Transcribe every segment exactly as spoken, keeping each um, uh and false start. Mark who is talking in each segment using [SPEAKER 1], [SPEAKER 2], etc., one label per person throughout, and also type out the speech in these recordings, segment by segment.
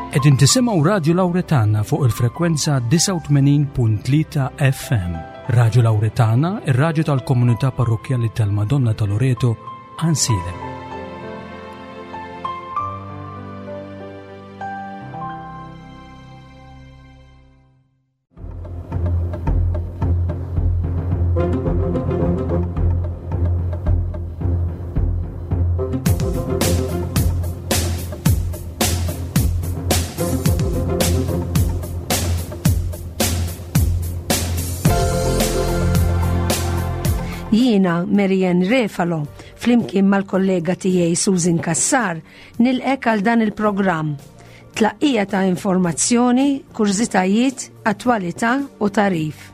[SPEAKER 1] Qegħdin tisimgħu Radju Lawretana fuq il-frekwenza disgħa u tmenin punt tlieta F M. Radju Lawretana, ir-radju tal-Komunità Parrokkjali tal-Madonna ta' Loreto, Għajnsielem.
[SPEAKER 2] Jiena Marianne Refalo, flimkien mal-kollega tiegħi Susan Kassar, nilqgħek għal dan il-programm. Tlaqqija ta' informazzjoni, kurżitajiet, attwalità u tagħrif.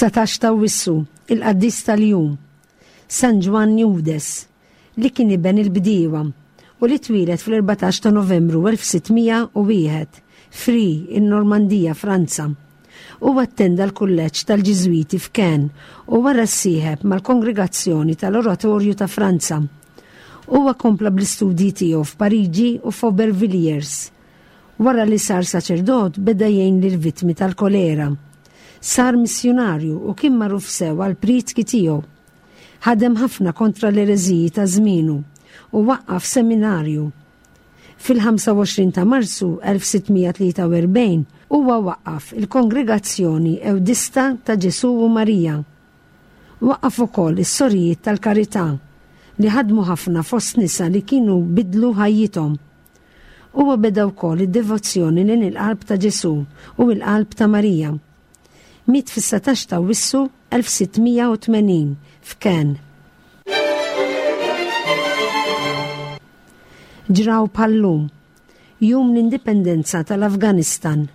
[SPEAKER 2] Satax ta' Awwissu, il-qaddis tal-jum, San Ġwann Eudes, li kien iben il-bdiewa u li twieled fl-erbatax ta' Novembru elf sitt mija u wieħed, Fri, in-Normandija, Franza. U attenda l-kulleġġ tal-Ġiżwiti f'Caen u wara ssieħeb mal-Kongregazzjoni tal-Oratorju ta' Franza. Huwa kompla bl-istudji tiegħu f'Pariġi u f'Aubervilliers. Wara li sar saċerdot, beda jgħin lill-vittmi tal-kolera. Sar missjonarju u kien magħruf sew għal prietki tiegħu. Ħadem ħafna kontra l-ereżiji ta' żmienu u waqqaf seminarju. Fil-ħamsa u għoxrin ta' Marzu elf sitt mija tlieta u erbgħin huwa waqqaf il-Kongregazzjoni Ewdista ta' Ġesu u Marija. Waqqaf ukoll is-Sorijiet tal-Karità, li ħadmu ħafna fost nisa li kienu bidlu ħajjithom. Huwa beda wkoll id-devozzjoni lejn il-qalb ta' Ġesu u l-qalb ta' Marija. Miet fis-satax ta' Awwissu elf sitt mija u tmenin f'Caen. Ġraw bħal-lum, Jum l-Indipendenza tal-Afganistan.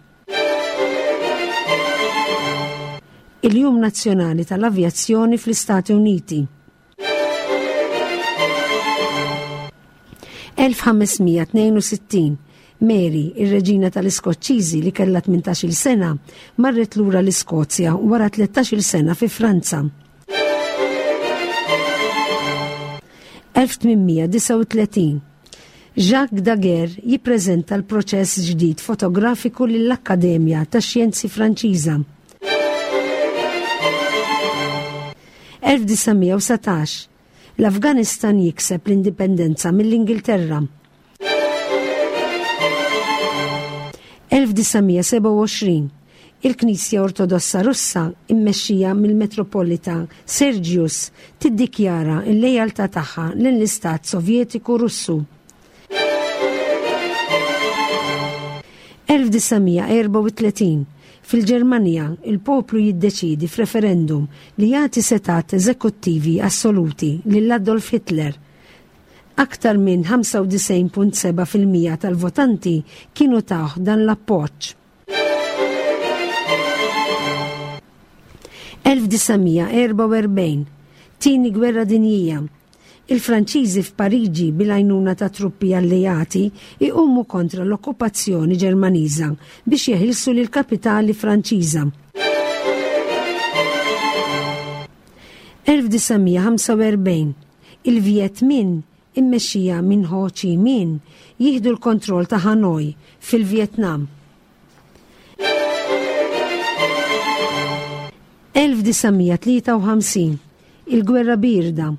[SPEAKER 2] Il-Jum Nazzjonali tal-Avjazzjoni fl-Istati Uniti. elf ħames mija tnejn u sittin, Mary, ir-reġina tal-Iskoċċiżi li kellha tmintax-il sena, marret lura l-Iskozja wara tlettax-il sena fi Franza. elf tmien mija disgħa u tletin, Jacques Daguerre jippreżenta l-proċess ġdid fotografiku lill-Akkademja tax-Xjenzi Franċiża. elf disa' mija u satax, l-Afganistan jikseb l-indipendenza mill-Ingilterra. elf disa' mija sebgħa u għoxrin, il-Knisja Ortodossa Russa immexxija mill-Metropolita Sergius tiddikjara l-lejaltà tagħha lill-Istat Sovjetiku Russu. elf disa' mija erbgħa u tletin, fil-Ġermanja, il-poplu jiddeċidi f'referendum li jagħti setgħat eżekuttivi assoluti lil Adolf Hitler. Aktar minn ħamsa u disgħin punt sebgħa fil-mija tal-votanti kienu tawh dan l-appoġġ. elf disa' mija erbgħa u erbgħin, Tieni Gwerra Dinjija. Il-Franċiżi f'Pariġi, bil-għajnuna ta' truppi alleati, iqumu kontra l-okkupazzjoni Ġermaniża biex jeħilsu lil kapitali Franċiża. elf disa' mija ħamsa u erbgħin, il-Viet Minh immexxija minn Ho Chi Minh jieħdu l-kontroll ta' Hanoi fil-Vietnam. elf disa' mija tlieta u ħamsin, il-Gwerra Birda.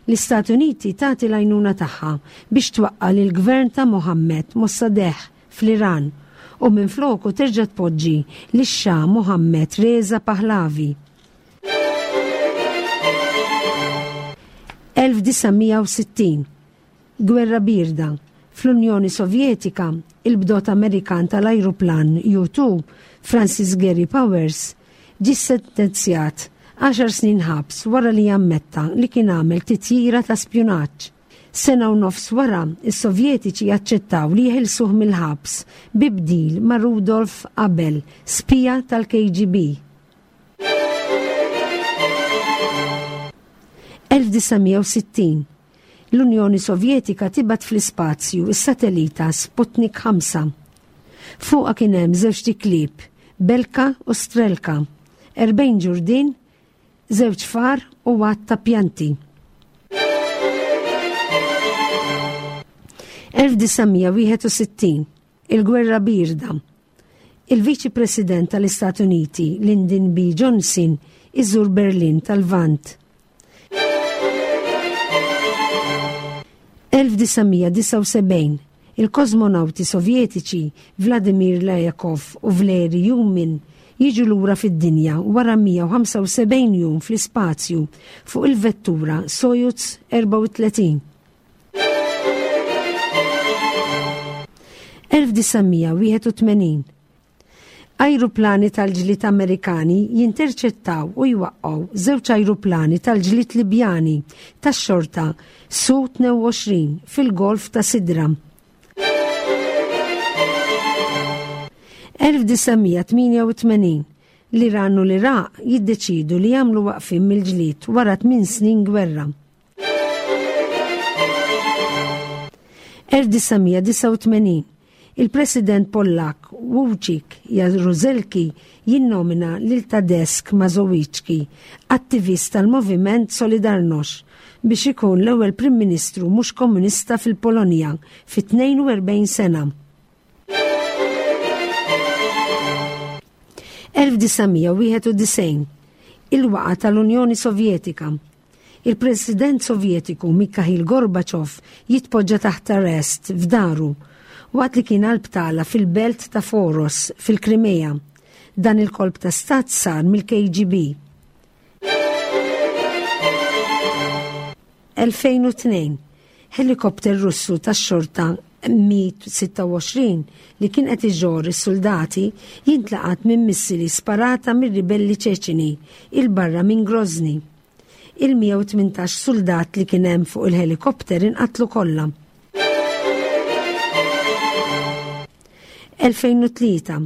[SPEAKER 2] L-Istati Uniti tagħti l-għajnuna tagħha biex twaqqa' lil gvern ta' Mohammed Mossadegh fl-Iran u minfloku terġa' tpoġġi lix-Xah Mohammed Reza Pahlavi. elf disa' mija u sittin, Gwerra Birda. Fl-Unjoni Sovjetika, il-bdot Amerikan tal-ajruplan U two, Francis Gary Powers, ġie sentenzjat għaxar snin ħabs wara li jammetta li kien għamel titjira ta' spjunaġġ. Sena u nofs wara, is-Sovjetiċi jaċċettaw li jeħilsuh mill-ħabs bi bdil ma' Rudolf Abel, spija tal-K G B. elf disa' mija u sittin. L-Unjoni Sovjetika tibgħat fl-ispazju is-satellita Sputnik ħamsa. Fuqha kien hemm żewġt iklieb, Belka u Strelka, erbgħin ġurdien, żewġ far u għadd ta' pjanti. elf disa' mija wieħed u sittin. Il-Gwerra Birda. Il-Viċi President tal-Istati Uniti, Lyndon B. Johnson, iżur Berlin tal-Lvant. elf disa' mija disgħa u sebgħin. Il-kosmonawti Sovjetiċi Vladimir Lyakhov u Valery Ryumin jiġu lura fid-dinja wara mija u ħamsa u sebgħin jum fl-ispazju fuq il-vettura Soyuz erbgħa u tletin. elf disa' mija wieħed u tmenin. Ajruplani tal-ġlied Amerikani jinterċettaw u jwaqqgħu żewġ ajruplani tal-ġlied Libjani tax-xorta Su tnejn u għoxrin fil-Golf ta' Sidra. elf disa' mija tmienja u tmenin. L-Iran u l-Iraq jiddeċidu li jagħmlu waqfien mill-ġlied wara tmien snin gwerra. elf disa' mija disgħa u tmenin. Il-President Pollak Wojciech Jaruzelski jinnomina lil Tadeusz Mazowiecki, attivist tal-Moviment Solidarność, biex ikun l-ewwel Prim Ministru mhux komunista fil-Polonja fi tnejn u erbgħin sena. elf disa' mija wieħed u disgħin. Il-waqa tal-Unjoni Sovjetika. Il-President Sovjetiku Mikhail Gorbachev jitpoġġa taħt arrest f'daru waqt li kien għal btala fil-belt ta' Foros fil-Krimea. Dan il-kolp ta' stat sar mill-K G B. elfejn u tnejn. Helikopter Russu tax-xorta Mi sitta u għoxrin li kien qed iġorr is-soldati jintlaqat minn missili sparata mir-ribelli Ċeċini 'il barra minn Grozny. Il-mija u tmintax soldat li kien hemm fuq il-helikopter inqatlu kollha. elfejn u tlieta.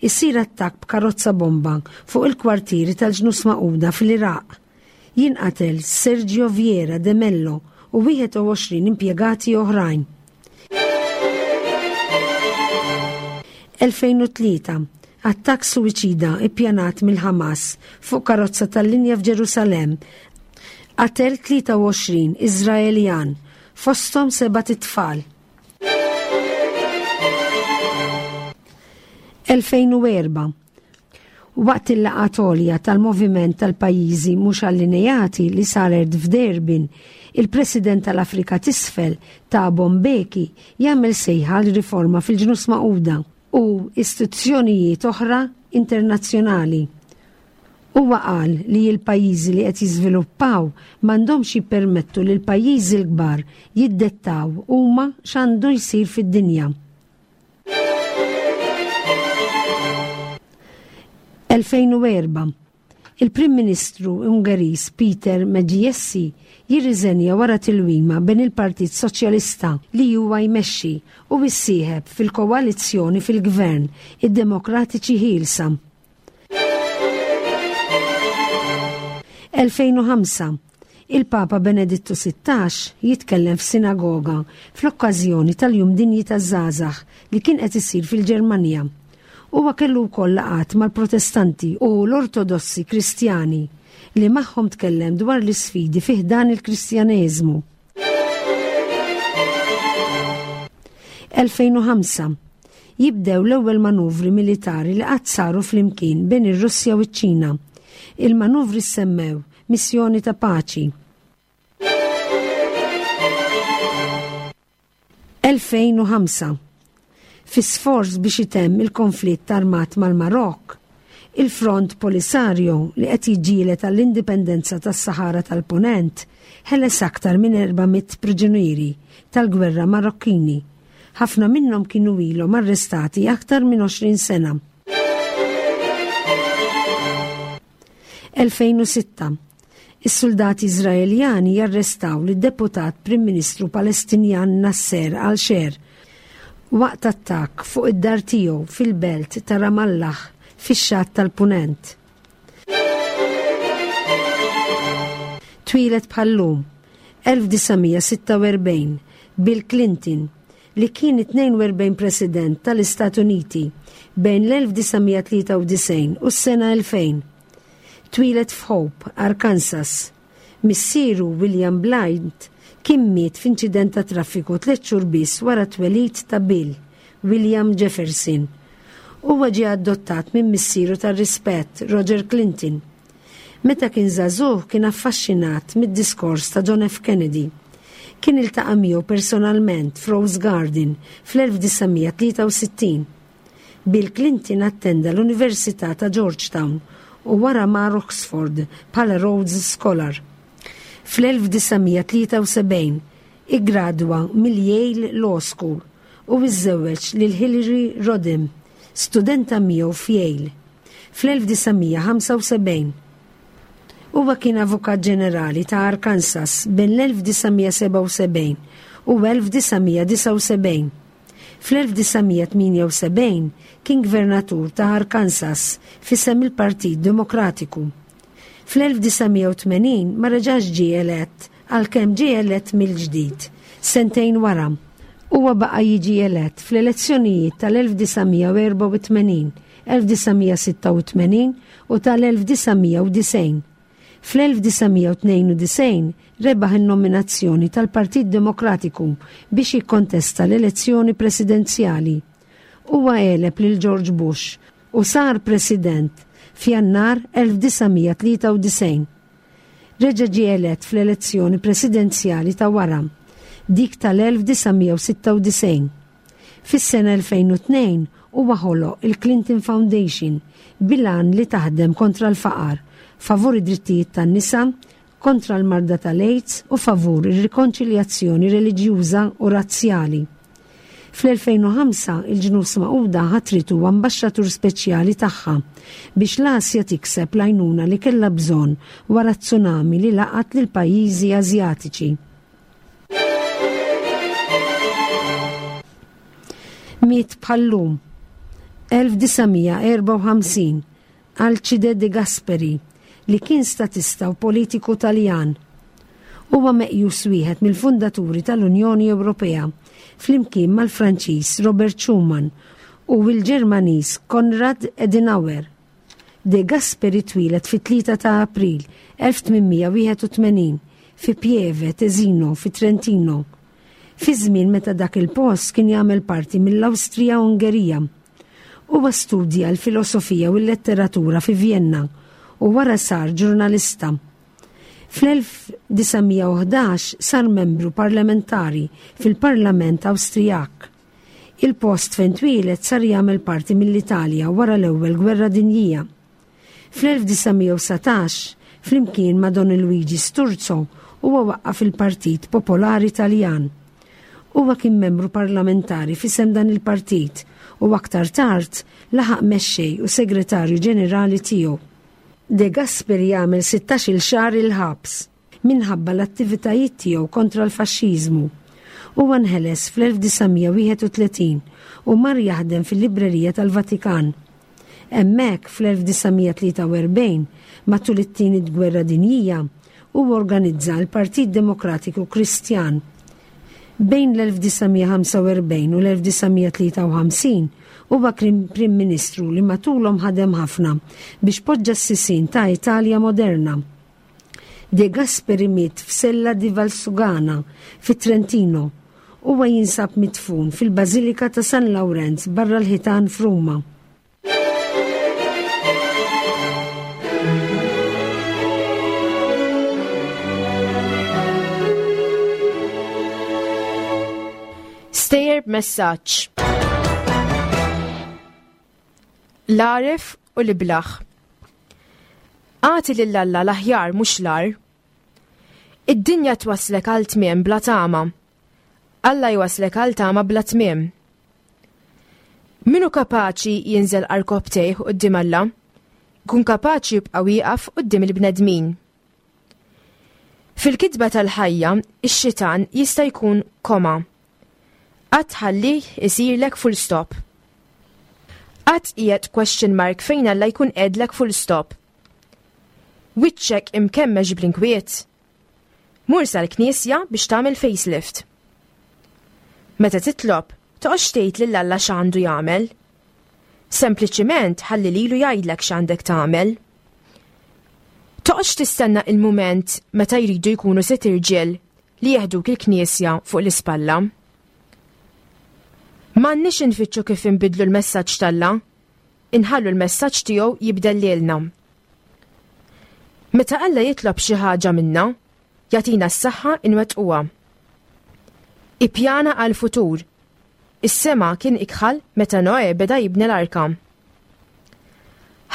[SPEAKER 2] Isir attakk b'karozza bomba fuq il-kwartieri tal-Ġnus Magħquda fil-Iraq. Jinqatel Sergio Vieira de Mello u wieħed u għoxrin impjegati oħrajn. elfejn u tlieta. Attakk suwiċida ippjanat mill-Hamas fuq karozza tal-linja f'Ġerusalemm qatel tlieta u għoxrin Iżraeljan, fosthom sebat itfal. elfejn u erbgħa. Waqt il-laqgħa għolja tal-moviment tal-pajjiżi mhux allineati li saret f'Durbin, il-President tal-Afrika t'Isfel Thabo Mbeki jagħmel sejħa għal riforma fil-Ġnus Magħquda u istituzzjonijiet oħra internazzjonali. Huwa qal li l-pajjiżi li qed jiżviluppaw m'għandhomx jippermettu li l-pajjiżi l-kbar jiddettaw huma x'għandu jsir fid-dinja. elfejn u erbgħa. Il-Prim Ministru Ungeriż Peter Magyasi jirriżenja wara tilwima bejn il-Partit Soċjalista li huwa jmexxi u issieħeb fil-koalizzjoni fil-Gvern id-Demokratiċi Ħielsa. elfejn u ħamsa. Il-Papa Benedittu sittax jitkellem f'sinagoga fl-okkażjoni tal-Jum Dinji taż-Żgħażagħ li kien qed isir fil-Ġermanja. Huwa kellu wkoll laqgħat mal-Protestanti u l-Ortodossi Kristjani li magħhom tkellem dwar l-isfidi fih dan il-Kristjaneżmu. elfejn u ħamsa. Jibdew l-ewwel manuvri militari li qatt saru flimkien bejn ir-Russja u ċ-Ċina. Il-manuvri semmew Missjoni ta' Paċi. elfejn u ħamsa. Fi sforz biex itemm il-konflitt armat mal-Marokk, il-Front Polisario li qed jiġġieled għall-indipendenza tas-Sahara tal-Punent ħeles aktar minn erba' mitt priġunieri tal-gwerra Marokkini. Ħafna minnhom kienu ilhom arrestati aktar minn għoxrin sena. elfejn u sitta. Is-suldati Iżraeljani jarrestaw lid-deputat Prim Ministru Palestinjan Nasser al-Sher waqt attakk fuq id-dar tiegħu fil-belt ta' Ramallah fix-xatt tal-Punent. Twieled bħal-lum elf disa' mija sitta u erbgħin Bill Clinton, li kien it-tnejn u erbgħin President tal-Istati Uniti bejn l-elf disa' mija tlieta u disgħin u s-sena elfejn. Twieled f'Hope, Arkansas. Missieru William Blythe kien miet f'inċident ta' traffiku tliet xhur biss wara t-twelid ta' Bill, William Jefferson. Huwa ġie adottat minn missieru tar-rispett, Roger Clinton. Meta kien żagħżugħ kien affaxxinat mid-diskors ta' John F. Kennedy. Kien iltaqa' miegħu personalment f'Rose Garden fl-elf disa' mija tlieta u sittin. Bill Clinton attenda l-Università ta' Georgetown u wara mar Oxford bħala Rhodes Scholar. Fl-elf disa' mija tlieta u sebgħin iggradwa mill-Yale Law School u iżżewweġ lil Hillary Rodham, studenta miegħu f'Yale. Fl-elf disa' mija ħamsa u sebgħin huwa kien avukat ġenerali ta' Arkansas bejn l-elf disa' mija sebgħa u sebgħin u elf disa' mija disa' u sebgħin. Fl-elf disa' mija tmienja u sebgħin kien gvernatur ta' Arkansas f'isem il-Partit Demokratiku. Fl-elf disa' mija u tmenin ma reġax ġie elett għalkemm ġie elett mill-ġdid sentejn wara. Huwa baqa' jiġi elett fl-elezzjonijiet tal-elf disa' mija u erbgħa u tmenin, elf disa' mija sitta u tmenin u tal-elf disa' mija u disgħin. Fl-elf disa' mija u tnejn u disgħin rebaħ in-nominazzjoni tal-Partit Demokratiku biex jikkontesta l-elezzjoni presidenzjali. Huwa għeleb lil George Bush u sar president f'Jannar elf disa' mija tlieta u disgħin. Reġa' ġie elett fl-elezzjoni presidenzjali ta' wara, dik tal-elf disa' mija u sitta u disgħin. Fis-sena elfejn u tnejn huwa ħoloq il-Clinton Foundation bil-għan li taħdem kontra l-faqar, favur id-drittijiet tan-nisa, kontra l-marda tal-AIDS u favur ir-rikonċiljazzjoni reliġjuża u razzjali. Fl-elfejn u ħamsa il-Ġnus Magħquda ħatritu ambaxxatur speċjali tagħha biex l-Asja tikseb l-għajnuna li kellha bżonn wara t-tsunami li laqat lil pajjiżi Asjatiċi. Miet bħal-lum elf disa' mija erbgħa u ħamsin Alcide De Gasperi, li kien statista u politiku Taljan. Huwa meqjus wieħed mill-fundaturi tal-Unjoni Ewropea, flimkien mal-Franċiż Robert Schuman u l-Ġermaniż Konrad Adenauer. De Gasperi twieled fit-tlieta ta' April elf tmien mija wieħed u tmenin fi Pieve Tesino fi Trentino, fi żmien meta dak il-post kien jagħmel parti mill-Awstrija Ungerija. Huwa studja l-filosofija u l-letteratura fi Vienna u wara sar ġurnalista. Fl-elf disa' mija u ħdax sar membru parlamentari fil-Parlament Awstrijak. Il-post fejn twieled sar jagħmel parti mill-Italja wara l-Ewwel Gwerra Dinjija. Fl-elf disa' mija u satax, flimkien ma' Don Luigi Sturzo, huwa waqqaf il-Partit Popolari Taljan. Huwa kien membru parlamentari f'isem dan il-partit u aktar tard laħaq mexxej u segretarju ġenerali tiegħu. De Gasperi jagħmel sittax-il xahar il-ħabs minħabba l-attivitajiet tiegħu kontra l-faxxiżmu. Huwa nħeles fl-elf disa' mija wieħed u tletin u mar jaħdem fil-Librerija tal-Vatikan. Hemmhekk fl-elf disa' mija tlieta u erbgħin, matul it-tieni Gwerra Dinjija, huwa organizza l-Partit Demokratiku Kristjan. Bejn l-elf disa' mija ħamsa u erbgħin u l-elf disa' mija tlieta u ħamsin huwa kien Prim Ministru li matulhom ħadem ħafna biex poġġa s-sisien ta' Italja moderna. De Gasperi miet f'Sella di Valsugana fi Trentino. Huwa jinsab midfun fil-Bażilika ta' San Lawrenz barra l-ħitan f'Ruma.
[SPEAKER 3] Stejjer b'messaġġ. L-għaref u l-iblaħ. Agħti lil Alla l-aħjar mhux l-agħar. Id-dinja twaslek għal tmiem bla tama. Alla jwaslek għal tama bla tmiem. Min hu kapaċi jinżel għarkopptejh quddiem Alla, kun kapaċi jibqa' wieqaf quddiem il-bnedmin. Fil-kitba tal-ħajja, ix-xitan jista' jkun koma. Qatt tħallih isirlek full stop. Qatt qiegħed question mark fejn Alla jkun qegħdlek full stop. Wiċċek imkemmex bl-inkwiet. Mur sal-knisja biex tagħmel facelift. Meta titlob, toqgħodx tgħid lil Alla x'għandu jagħmel. Sempliċiment ħalli lilu jgħidlek x'għandek tagħmel. Toqgħodx tistenna il-mument meta jridu jkunu sitt irġiel li jeħduk il-knisja fuq l-ispalla. M'għandniex infittxu kif inbidlu l-messaġġ t'Alla, inħallu l-messaġġ tiegħu jibdel lilna. Meta Alla jitlob xi ħaġa minna, jagħtina s-saħħa inwettquha. Ippjana għal-futur. Is-sema kien ikħal meta Noe beda jibni l-arka.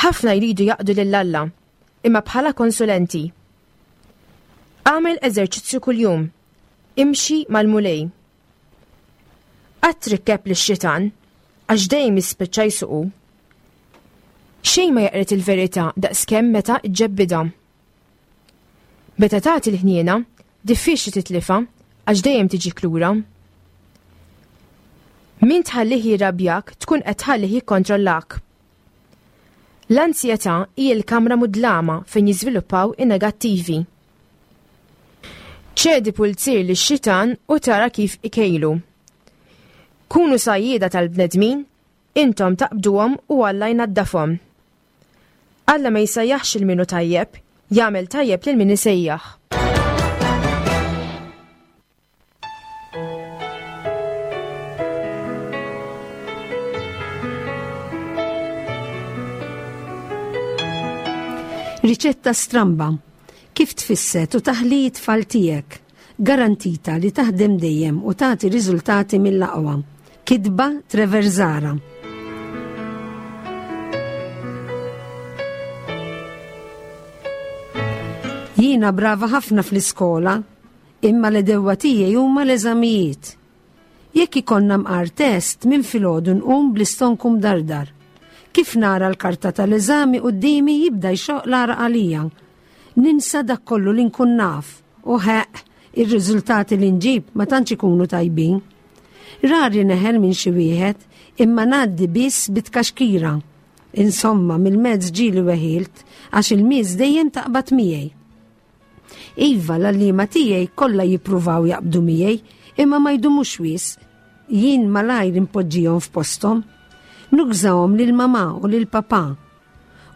[SPEAKER 3] Ħafna jridu jaqdu lil Alla, imma bħala konsulenti. Agħmel eżerċizzju kuljum. Imxi mal-Mulej. Qatt trikkeb lix-xitan, għax dejjem jispiċċa jsuqu. Xejn ma jaqret il-verità daqskemm meta ġġebbidha. Meta tagħti l-ħniena, diffiċli titlifha għax dejjem tiġik lura. Min tħallih jirrabjak tkun qed tħallih jikkontrollak. L-ansjetà hi l-kamra mudlama fejn jiżviluppaw in-negattivi. Ċedi pulzier lix-xitan u tara kif ikejlu. Kunu sajjieda tal-bnedmin, intom taqbduhom u Alla jnaddafhom. Alla ma jsejjaħx lil min hu tajjeb, jagħmel tajjeb lil min isejjaħ.
[SPEAKER 2] Riċetta stramba. Kif tfisset u taħli t-tfal tiegħek. Garantita li taħdem dejjem u tagħti riżultati mill-aqwa. Kitba Trevor Zahra. Jiena brava ħafna fl-iskola, imma l-edewwa tiegħi huma l-eżamijiet. Jekk ikollna mqar test minn filgħodu nqum bl-istonku mdardar. Kif nara l-karta tal-eżami quddiemi jibda jxoq l-għaraq għalija. Ninsa dak kollu li nkun naf u ħeq ir-riżultati li nġib ma tantx ikunu tajbin. Rari neħel minn xi wieħed imma ngħaddi biss bitkaxkira. Insomma, mill-mezz ġieli weħilt għax il-miż dejjem taqbad miegħi. Iva, l-għalliema tiegħi kollha jippruvaw jaqbdu miegħi imma ma jdumux wisq. Jien malajr impoġġihom f'posthom. Nugżahom lil mamà u lil papà.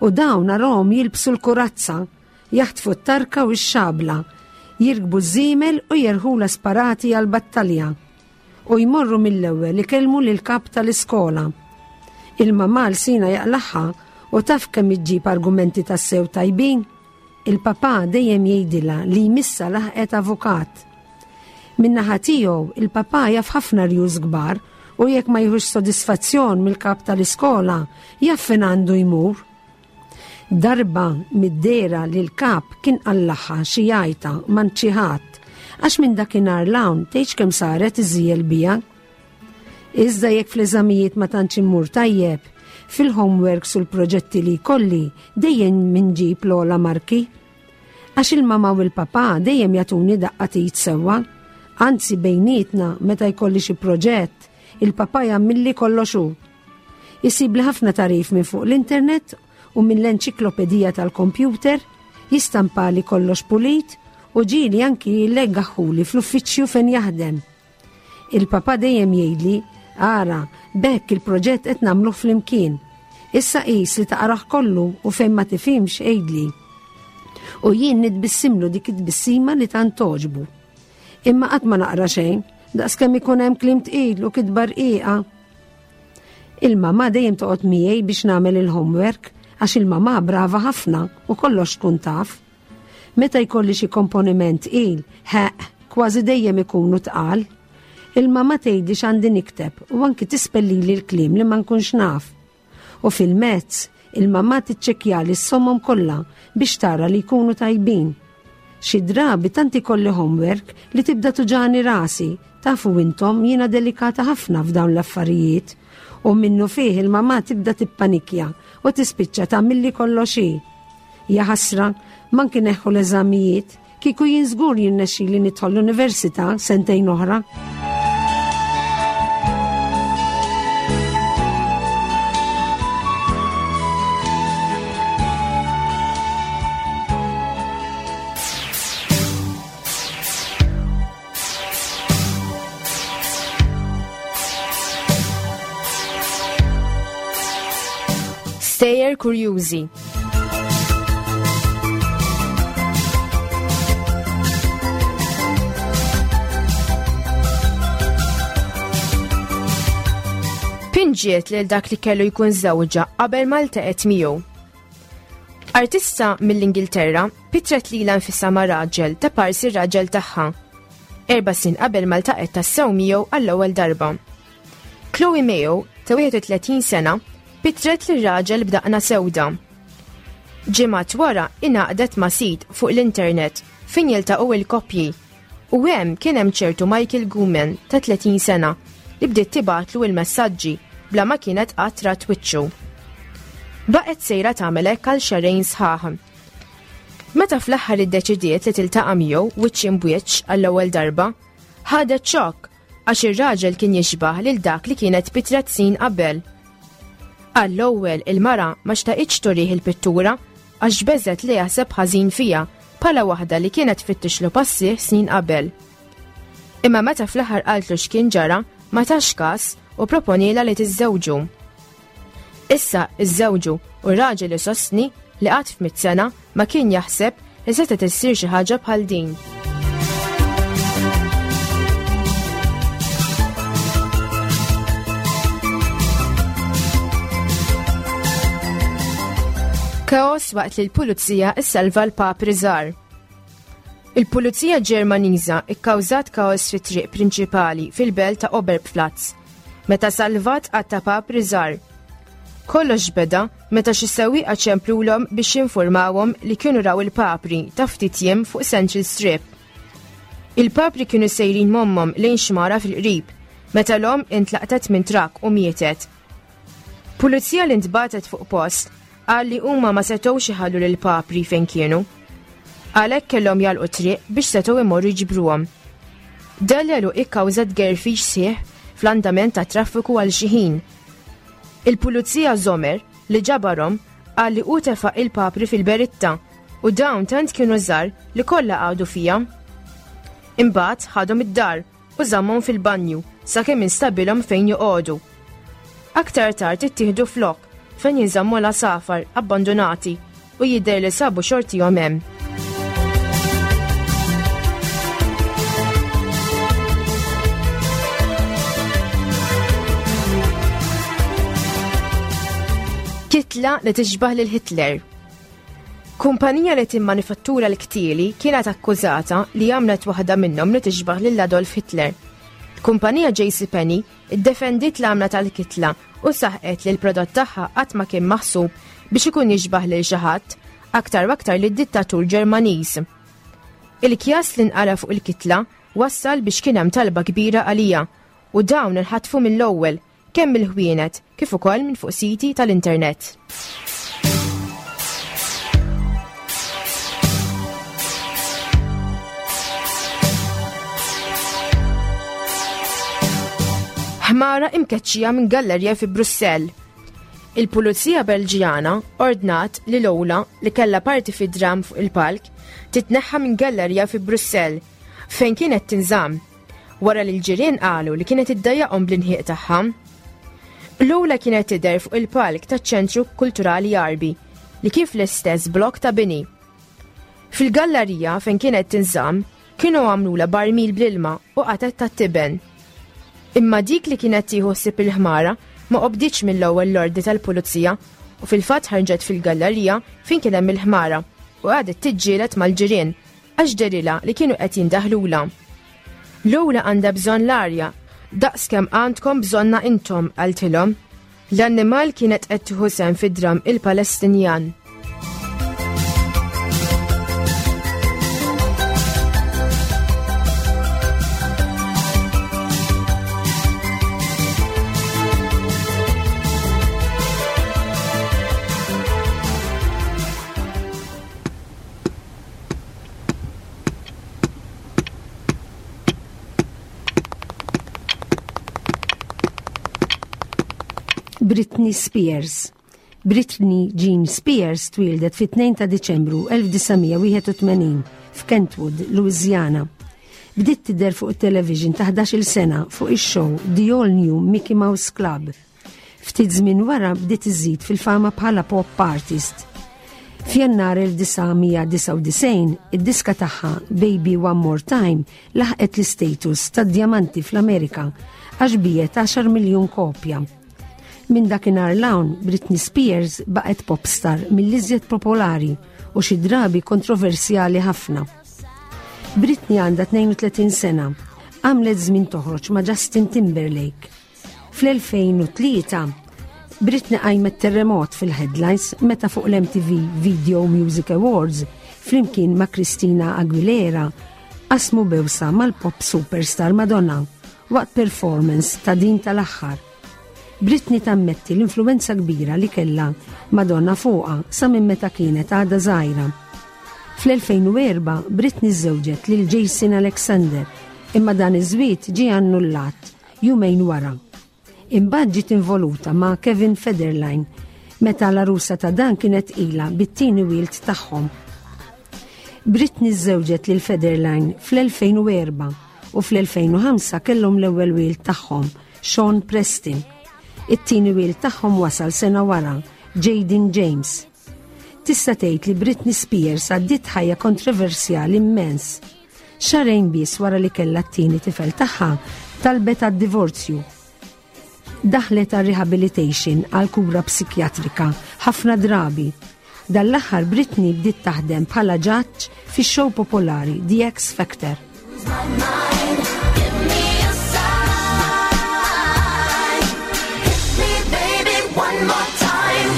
[SPEAKER 2] U dawn narahom jilbsu l-kurazza, jaħtfu t-tarka u x-xabla, jirkbu ż-żiemel u jerħula sparati għal-battalja. U jmorru mill-ewwel ikellmu lil kap tal-iskola. Il-mamà l-sina jaqlaħħa u taf kemm iġġib argumenti tassew tajbin. Il-papà dejjem jgħidilha li jmissa laħqet avukat. Min-naħa tiegħu il-papà jaf ħafna rjus kbar u jekk ma jieħux sodisfazzjon mill-kap tal-iskola jaf fejn għandu jmur. Darba mid-dera li l-kap kien qallaħħa xi jgħajta m'għand xi ħadd għax minn dakinhar l-hawn tgħidx kemm saret iżjel bija. Iżda jekk fl-eżamijiet ma tantx immur tajjeb, fil-homeworks u l-proġetti li jkolli dejjem minġib l-ogħla marki. Għax il-mama u l-papà dejjem jagħtuni daqqa t'id sewwa, anzi bejnietna meta jkolli xi proġett, il-papà jagħmilli kollox hu. Isibli ħafna tarif minn fuq l-internet u minn l-enċiklopedija tal-kompjuter, jistampali kollox pulit u ġieli anki jilleggaħuli fl-uffiċċju fejn jaħdem. Il-papà dejjem jgħidli, ara, bekk il-proġett qed nagħmluh flimkien. Issa qis li taqrah kollu u fejn ma tifhimx għidli. U jien nitbissimlu dik it-tbissima li tant toġbu. Imma qatt ma naqra xejn, daqskemm ikun hemm kliem tqil u kitba rqiqa. Il-mamà dejjem toqgħod miegħi biex nagħmel il-homework għax il-mamà brava ħafna u kollox tkun taf. Meta jkolli xi komponiment tqil, ħeq, kważi dejjem ikunu tqal. Il-mamà tgħidli x'għandi nikteb u anki tispellili l-kliem li ma nkunx naf. U fil-mezz, il-mamà tiċċekkjali s-sommom kollha biex tara li jkunu tajbin. Xi drabi tant ikolli homework li tibda tuġani rasi, tafu intom jiena delikata ħafna f'dawn l-affarijiet. U minnu fih il-mamà tibda tippanikja u tispiċċa tagħmilli kollox hi. Ja ħasra, manki neħħu l-eżamijiet, Kieku jien żgur jirnexxili nidħol l-università sentejn oħra.
[SPEAKER 3] Stejjer kurjużi. Pinġiet lil dak li kellu jkun żewġha qabel ma ltaqgħet miegħu. Artista mill-Ingilterra pitret lilha nfisha ma' raġel ta' parsi r-raġel tagħha. Erba' snin qabel ma ltaqgħet tassew miegħu għall-ewwel darba. Chloe Mayo ta' wieħed u tletin sena pitret lir raġel b'daqna sewda. Ġimgħat wara ingħaqdet ma' sit fuq l-internet fejn jiltaqgħu il-koppji u hemm kien hemm ċertu Michael Guman ta' tletin sena li bdiet tibgħatlu il-messaġġi bla ma kienet qatt rat wiċċu. Baqgħet sejra tagħmel hekk għal xahrejn sħaħ. Meta fl-aħħar iddeċidiet li tiltaqa' miegħu wiċċ imbwiċċ għall-ewwel darba, ħadet xokk għax ir-raġel kien jixbah lil dak li kienet pitret snin qabel. Għall-ewwel il-mara ma xtaqitx turih il-pittura għax beżgħet li jaħseb ħażin fiha bħala waħda li kienet tfittixlu passih snin qabel. Imma meta fl-aħħar qaltlu x'kien ġara, ma tax każ u proponila li tiżżewġu. Issa iżżewġu u r-raġel isostni li qatt f'mitt sena ma kien jaħseb li setgħet issir xi ħaġa bħal din. Kaos waqt li l-pulizija issalva l-papri żgħar. Il-pulizija Ġermaniża ikkawżat kaos fit-triq prinċipali fil-belt ta' Oberpfalz meta salvat għadd ta' papri żgħar. Kollox beda meta xi sewwieqa ċemplulhom biex jinformawhom li kienu raw il-papri ta' ftit jiem fuq Central Strip. Il-papri kienu sejrin m'ommhom lejn xmara fil-qrib meta l-omm intlaqtet minn trakk u mietet. Pulizija li ntbatet fuq post qal li huma ma setgħux iħallu lil papri fejn kienu. Għalhekk kellhom jagħlqu triq biex setgħu imorru jġibruhom. Dan l-għeluq ikkawża tgerfix sieħ fl-andament ta' traffiku għal xi ħin. Il-pulizija Zomer li ġabarhom qal li hu tefa' il-papri fil-beritta u dawn tant kienu żgħar li kollha qagħdu fija. Imbagħad ħadhom id-dar u żammhom fil-banju sakemm instabilhom fejn joqogħdu. Aktar tard ittieħdu flok fejn jinżammu l-għasafar abbandonati u jidher li sabu xortihom hemm. Kitla li tixbah lil Hitler. Kumpanija li timmanifattura l-ktieli kienet akkużata li għamlet waħda minnhom li tixbah lil Adolf Hitler. Kumpanija J C Penney iddefendiet l-għamla tal-kitla u saħqet li l-prodott tagħha qatt ma kien maħsub biex ikun jixbah lil xi ħadd, aktar u aktar lid-dittatur Ġermaniż. Il-kjas li nqala fuq il-kitla wassal biex kien hemm talba kbira għalija u dawn inħatfu mill-ewwel kemm mill-ħwienet kif ukoll minn fuq siti tal-internet. Ħmara imkeċċija minn gallerja fi Brussell. Il-Pulizija Belġjana ordnat li Lola, li kellha parti fi dram fuq il-palk, titneħħa minn gallerja fi Brussell fejn kienet tinżamm, wara li l-ġirien qalu li kienet iddejjaqhom bl-inħieq tagħha. Lola kienet tidher fuq il-palk taċ-Ċentru Kulturali Għarbi li kien fl-istess blok ta' bini. Fil-gallerija fejn kienet tinżamm kienu għamlula barmil bl-ilma u qatet tat-tiben. Imma dik li kienet tieħu ħsieb il-ħmara ma qobdietx mill-ewwel l-ordni tal-pulizija u fil-fatt ħarġet fil-gallerija fejn kien hemm il-ħmara u qagħdet tiġġieled mal-ġirien għax derilha li kienu qed jindaħlula. Lola għandha bżonn l-arja, daqs kemm għandkom bżonna intom, qaltilhom. L-annimal kienet qed tieħu sehem fid-dram il-Palestinjan.
[SPEAKER 2] Britney Spears. Britney Jean Spears twieldet fit-tnejn ta' Diċembru elf disa' mija wieħed u tmenin f'Kentwood, Louisiana. Bdiet tidher fuq it-television ta' ħdax-il sena fuq ix-show The All New Mickey Mouse Club. Ftit żmien wara bdiet iżid fil-fama bħala pop artist. F'Jannar elf disa' mija disgħa u disgħin, id-diska tagħha Baby One More Time laħqet l-istatus ta' diamanti fl-Amerika għax biegħet għaxar miljun kopja. Minn dakinhar 'l hawn, Britney Spears baqgħet popstar mill-iżjed popolari u xi drabi kontroversjali ħafna. Britney għandha tnejn u tletin sena, għamlet żmien toħroġ ma' Justin Timberlake. Fl-elfejn u tlieta, Britney qajmet terremot fil-headlines meta fuq l-M T V Video Music Awards flimkien ma' Christina Aguilera qasmu bewsa mal-pop superstar Madonna waqt performance ta' din tal-aħħar. Britney tammetti l-influenza kbira li kella Madonna fuqha sa minn meta kienet għadha żgħira. Fl-elfejn u erbgħa Britney żewġet lil Jason Alexander, imma dan iż-żwieġ ġie annullat jumejn wara. Imbagħad ġiet involuta ma' Kevin Federline meta l-arusa ta' dan kienet ilha bit-tieni wild tagħhom. Britney żewġet lil Federline fl-elfejn u erbgħa u fl-elfejn u ħamsa kellhom l-ewwel wild tagħhom, Sean Preston. It-tieni wild tagħhom wasal sena wara, Jaden James. Tista' tgħid li Britney Spears għaddiet ħajja kontroversjali immens. Xahrejn biss wara li kellha t-tieni tifel tagħha, talbet għad-divorzju. Daħlet għal rehabilitation, għal kura psikjatrika ħafna drabi. Dan l-aħħar Britney bdiet taħdem bħala ġaġġ fix-show popolari The X Factor.
[SPEAKER 4] My mind, give me a sign. Hit me, baby, one more time.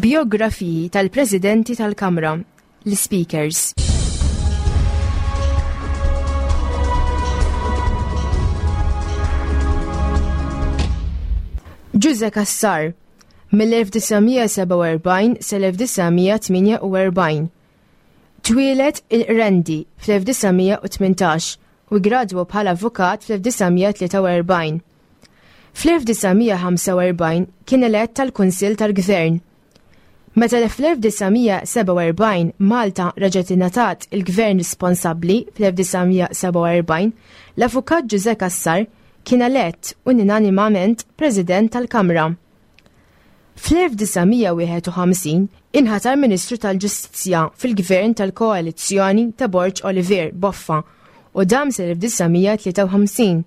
[SPEAKER 3] Biografiji tal-Presidenti tal-Kamra, l-Speakers. Ġużè Cassar, mill-elf disa' mija sebgħa u erbgħin sal-elf disa' mija tmienja u erbgħin. Twieled il-Qrendi fl-elf disa' mija u tmintax u gradwa bħala avukat fl-elf disa' mija tlieta u erbgħin. Fl-elf disa' mija ħamsa u erbgħin kien elett tal-Kunsill tal-Gvern. Meta fl-elf disa' mija sebgħa u erbgħin Malta reġgħet ingħatat il-Gvern responsabbli fl-elf disa' mija sebgħa u erbgħin, l-Avukat Ġużè Cassar kien elett unanimament President tal-Kamra. Fl-elf disa' mija wieħed u ħamsin inħatar Ministru tal-Ġustizzja fil-Gvern tal-Koalizzjoni ta' Borg Olivier Boffa u dam sal-elf disa' mija tlieta u ħamsin.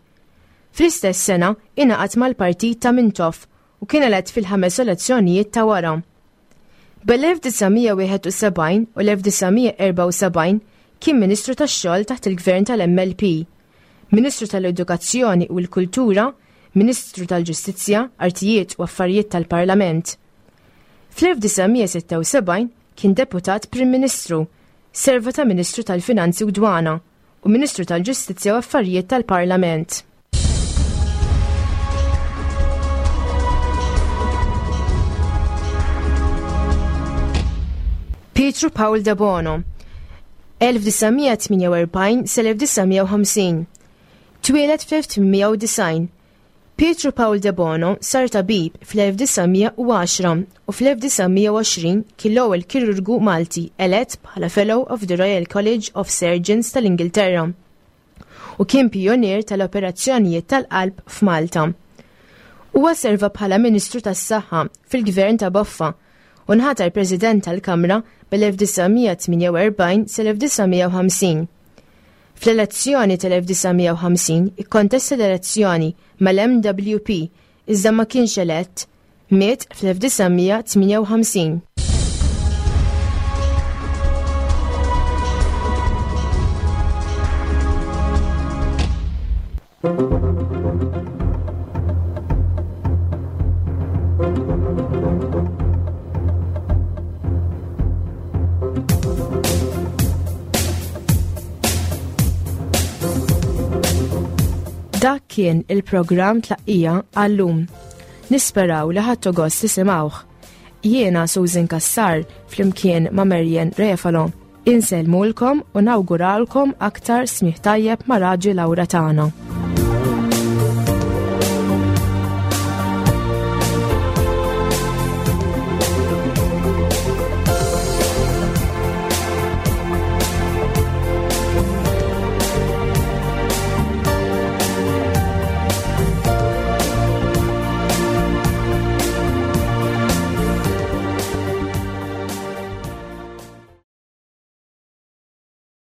[SPEAKER 3] Fl-istess sena ingħaqad mal-partit ta' Mintoff u kien elett fil-ħames elezzjonijiet ta' wara. Bel-elf disa' mija wieħed u sebgħin u l-elf disa' mija erbgħa u sebgħin kien Ministru tax-Xogħol taħt il-Gvern tal-M L P, Ministru tal-Edukazzjoni u l-Kultura, Ministru tal-Ġustizzja, Artijiet u Affarijiet tal-Parlament. Fl-elf disa' mija sitta u sebgħin kien Deputat Prim Ministru, serva ta' Ministru tal-Finanzi u Dwana u Ministru tal-Ġustizzja u Affarijiet tal-Parlament. Pietru Pawl Debono, elf disa' mija tmienja u erbgħin sal-elf disa' mija u ħamsin. Twieled fl-elf tmien mija u disgħin. Pietru Pawl Debono sar tabib fl-elf disa' mija u għaxra u fl-elf disa' mija u għoxrin kien l-ewwel kirurgu Malti elett bħala Fellow of the Royal College of Surgeons tal-Ingilterra u kien pionier tal-operazzjonijiet tal-qalb f'Malta. Huwa serva bħala Ministru tas-Saħħa fil-Gvern ta' Boffa u nħatar President tal-Kamra bel-elf disa' mija tmienja u erbgħin sal-elf disa' mija u ħamsin. Fl-elezzjoni tal-elf disa' mija u ħamsin ikkontesta l-elezzjoni mal-M W P iżda ma kienx elett, miet fl-elf disa' mija tmienja u ħamsin. Dak kien il-programm Tlaqqija għallum. Nisperaw li ħadtu gost tisimgħuh. Jiena Susan Kassar flimkien ma' Marian Refalo. Insellmulkom u nawguralkom aktar smigħ tajjeb ma' Raġi Lawra tagħna.